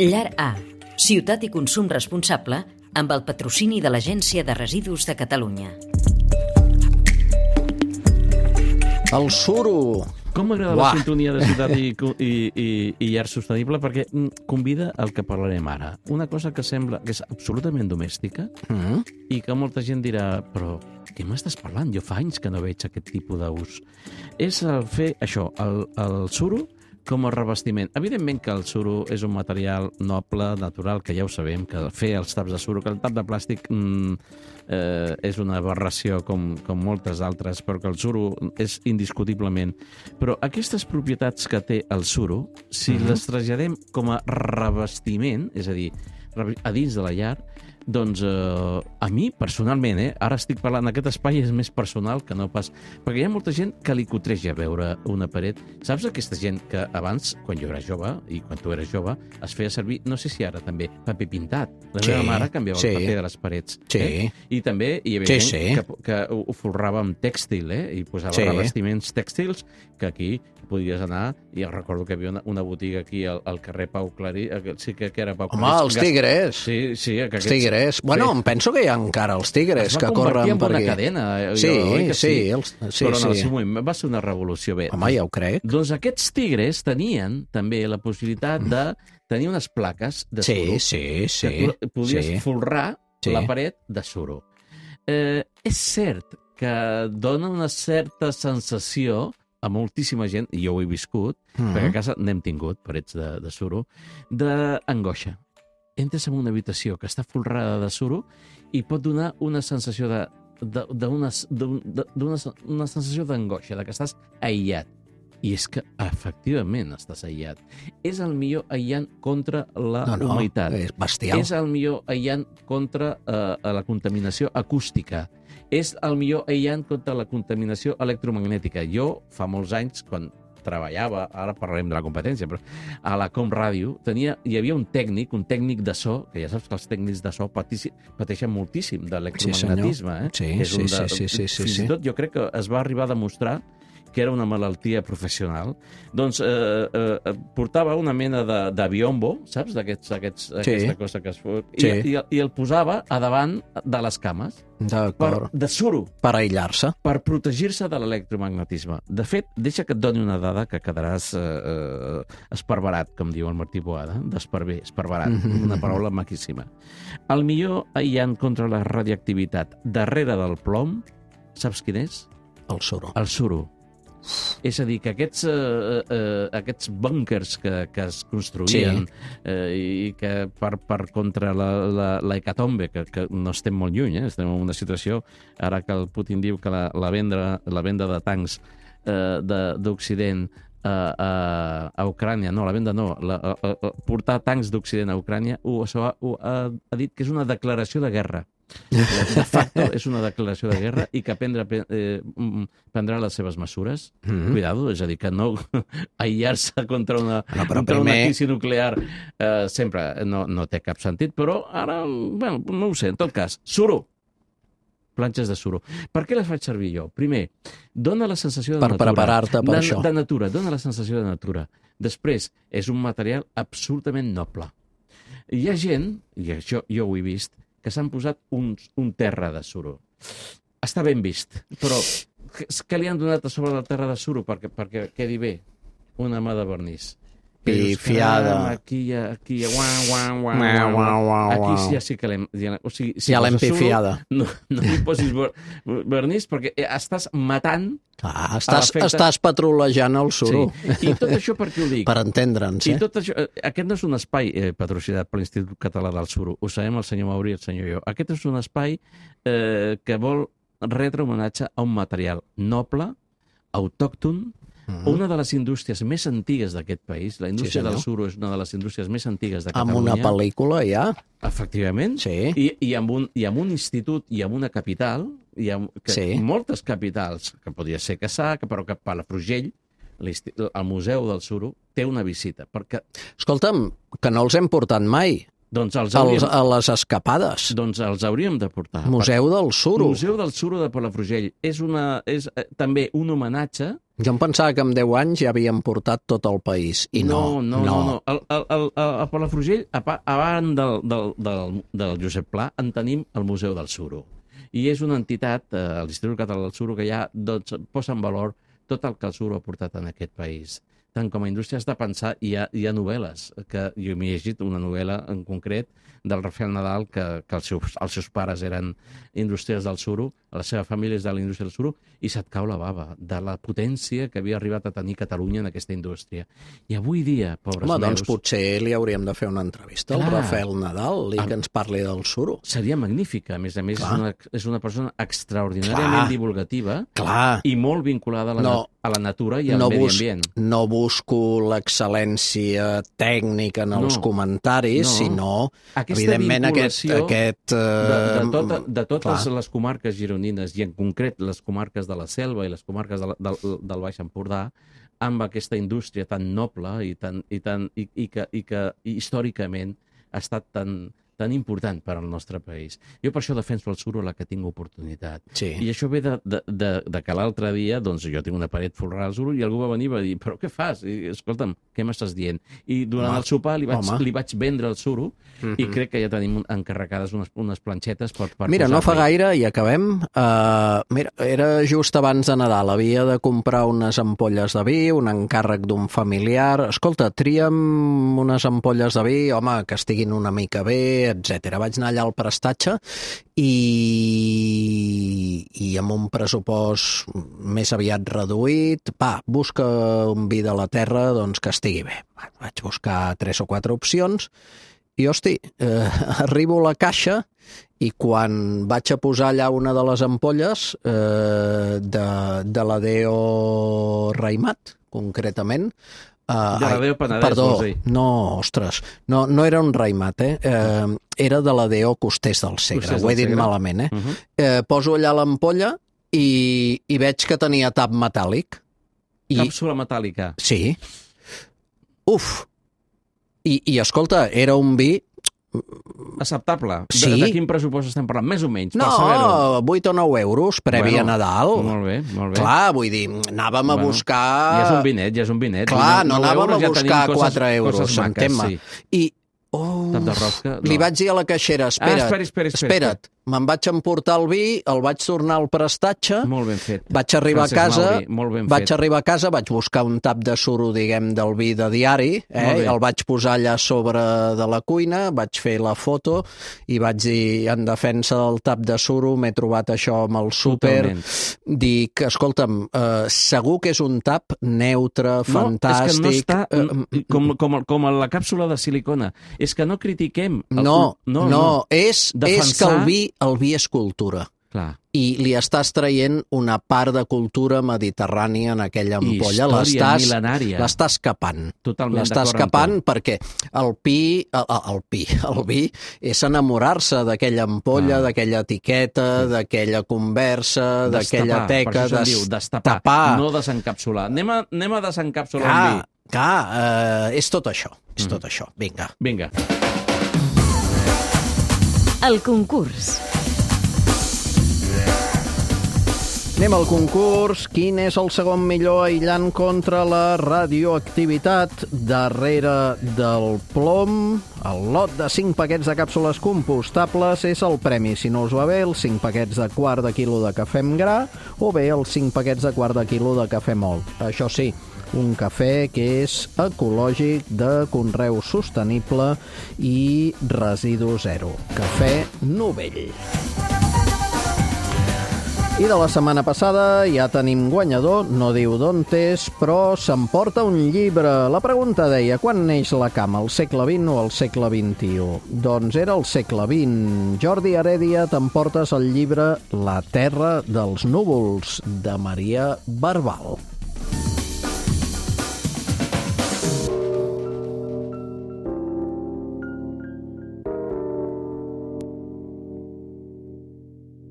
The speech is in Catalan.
Llar A, ciutat i consum responsable, amb el patrocini de l'Agència de Residus de Catalunya. El suro. Com m'agrada la sintonia de ciutat i llar sostenible, perquè convida al que parlarem ara. Una cosa que sembla que és absolutament domèstica i que molta gent dirà, però què m'estàs parlant? Jo fa anys que no veig aquest tipus d'ús. És el fer això, el suro com a revestiment. Evidentment que el suro és un material noble, natural, que ja ho sabem, que fer els taps de suro, que el tap de plàstic és una aberració com moltes altres, però que el suro és indiscutiblement. Però aquestes propietats que té el suro, si les traslladem com a revestiment, és a dir, a dins de la llar, doncs a mi, personalment, ara estic parlant, aquest espai és més personal que no pas... Perquè hi ha molta gent que li cotreja veure una paret. Saps aquesta gent que abans, quan jo era jove, i quan tu eres jove, es feia servir, no sé si ara també, paper pintat. La meva mare canviava el paper de les parets. I també hi havia gent que ho folrava amb tèxtil, i posava revestiments tèxtils, que aquí podies anar, i recordo que hi havia una botiga aquí al carrer Pau Clarí, sí que era Pau Clarí. Home, els tigres. Sí, els tigres. Bueno, em penso que hi ha encara els tigres que corren per aquí. Es va convertir en una cadena. Sí. Però en el seu moment va ser una revolució. Bé, home, ja ho crec. Doncs aquests tigres tenien també la possibilitat de tenir unes plaques de suro. Sí. Que tu podies folrar la paret de suro. És cert que dona una certa sensació a moltíssima gent, i jo ho he viscut, perquè a casa n'hem tingut parets de suro, d'angoixa. Entres en una habitació que està folrada de suro i pot donar una sensació una sensació d'angoixa, que estàs aïllat. I és que, efectivament, estàs aïllat. És el millor aïllant contra la humitat. És bestial. És el millor aïllant contra la contaminació acústica. És el millor aïllant contra la contaminació electromagnètica. Jo, fa molts anys, quan treballava, ara parlarem de la competència, però a la Com Ràdio hi havia un tècnic de so, que ja saps que els tècnics de so pateixen moltíssim d'electromagnetisme. Sí. Fins i tot jo crec que es va arribar a demostrar que era una malaltia professional, doncs portava una mena de biombo, saps? Aquesta cosa que es fot, i el posava a davant de les cames, de suro. Per aïllar-se. Per protegir-se de l'electromagnetisme. De fet, deixa que et doni una dada que quedaràs esparverat, com diu el Martí Boada, esparverat, una paraula maquíssima. El millor aïllant contra la radioactivitat darrere del plom, saps quin és? El suro. El suro. És a dir, que aquests búnkers que es construïen i que per contra la hecatombe, que no estem molt lluny, estem en una situació, ara que el Putin diu que la venda de tancs d'Occident a Ucrània, portar tancs d'Occident a Ucrània, ha dit que és una declaració de guerra. De facto és una declaració de guerra i que prendrà les seves mesures. Cuidado, és a dir, que no aïllar-se contra una crisi nuclear sempre no té cap sentit, però ara, no ho sé, en tot cas, suro. Planxes de suro. Per què les faig servir jo? Primer, dona la sensació de natura. Per preparar-te per això. De natura, dona la sensació de natura. Després, és un material absolutament noble. Hi ha gent, i això jo ho he vist, que s'han posat un terra de suro. Està ben vist, però què li han donat a sobre del terra de suro perquè quedi bé? Una mà de vernís. Pifiada. Aquí sí que l'hem... Ja l'hem pifiada. No li posis vernís perquè estàs matant... Estàs patrulejant el suro. I tot això per què ho dic? Per entendre'ns, I tot això, aquest no és un espai patrocinat per l'Institut Català del Suro. Ho sabem el senyor Mauri i el senyor jo. Aquest és un espai que vol retre homenatge a un material noble, autòcton, una de les indústries més antigues d'aquest país. La indústria del suro és una de les indústries més antigues de Catalunya. Amb una pel·lícula, ja. Efectivament. I amb un institut i amb una capital, moltes capitals, que podria ser Cassà, però que Palafrugell, el Museu del Suro, té una visita. Escolta'm, que no els hem portat mai. A les escapades. Doncs els hauríem de portar. Museu del Suro. Museu del Suro de Palafrugell és també un homenatge Jo em pensava que en 10 anys ja havien portat tot el país, i no. A Palafrugell, a banda del Josep Pla, en tenim el Museu del Suro. I és una entitat, l'Institut Català del Suro, que ja posa en valor tot el que el suro ha portat en aquest país. Tant com a indústria has de pensar, hi ha novel·les, que jo m'he llegit una novel·la en concret del Rafael Nadal, que els seus pares eren industrials del suro, la seva família és de la indústria del suro, i se't cau la bava de la potència que havia arribat a tenir Catalunya en aquesta indústria. I avui dia, pobres meus... Doncs potser li hauríem de fer una entrevista al Rafael Nadal i que ens parli del suro. Seria magnífica. A més, és una persona extraordinàriament divulgativa i molt vinculada a la natura i al medi ambient. No busco l'excel·lència tècnica en els comentaris, sinó, evidentment, aquest... De totes les comarques gironines, i en concret les comarques de la Selva i les comarques del Baix Empordà, amb aquesta indústria tan noble i que històricament ha estat tan important per al nostre país. Jo per això defenso el suro a la que tinc oportunitat. I això ve de que l'altre dia, doncs jo tinc una paret folrada al suro i algú va venir i va dir, però què fas? I, escolta'm, què m'estàs dient? I durant el sopar li vaig vendre el suro i crec que ja tenim encarregades unes planxetes per posar-li. Mira, no fa gaire i acabem. Mira, era just abans de Nadal. Havia de comprar unes ampolles de vi, un encàrrec d'un familiar. Escolta, tria'm unes ampolles de vi, home, que estiguin una mica bé, etc. Vaig anar allà al prestatge i amb un pressupost més aviat reduït, busca un vi de la terra doncs que estigui bé. Vaig buscar 3 o 4 opcions i, hosti, arribo a la caixa i quan vaig a posar allà una de les ampolles de la Deo Raimat, concretament, de la Deo Penedès, perdó, no, ostres, no era un Raimat, era de la Deo Costers del Segre, ho he dit malament, poso allà l'ampolla i veig que tenia tap metàl·lic. Càpsula metàl·lica. Sí. Uf! I escolta, era un vi... acceptable. Sí. De quin pressupost estem parlant? Més o menys, per saber-ho. 8 o 9 euros, previ a Nadal. Molt bé, molt bé. Clar, vull dir, anàvem a buscar... Ja és un vinet. Clar, no anàvem a buscar 4 euros, entén-me. I li vaig dir a la caixera, espera't, me'n vaig emportar el vi, el vaig tornar al prestatge, molt ben fet. Vaig arribar a casa, vaig buscar un tap de suro, diguem, del vi de diari, el vaig posar allà sobre de la cuina, vaig fer la foto i vaig dir, en defensa del tap de suro, m'he trobat això amb el súper, dic, escolta'm, segur que és un tap neutre, fantàstic... No, és que no està com la càpsula de silicona. És que no critiquem... És que el vi és cultura. Clar. I li estàs traient una part de cultura mediterrània en aquella ampolla. L'estàs capant. Totalment l'estàs capant perquè el vi és enamorar-se d'aquella ampolla, d'aquella etiqueta, d'aquella conversa, d'aquella teca... Per això se'n diu, destapar, no desencapsular. Anem a desencapsular el vi. És tot això. És tot això. Vinga. El concurs. Anem al concurs. Quin és el segon millor aïllant contra la radioactivitat? Darrere del plom, el lot de 5 paquets de càpsules compostables és el premi. Si no us va bé, els 5 paquets de quart de quilo de cafè amb gra o bé els 5 paquets de quart de quilo de cafè mòlt. Això sí, un cafè que és ecològic, de conreu sostenible i residu zero. Cafè Novell. I de la setmana passada ja tenim guanyador, no diu d'on és, però s'emporta un llibre. La pregunta deia, quan neix la cama, al segle XX o al segle XXI? Doncs era el segle XX. Jordi Heredia, t'emportes el llibre La terra dels núvols, de Maria Barbal.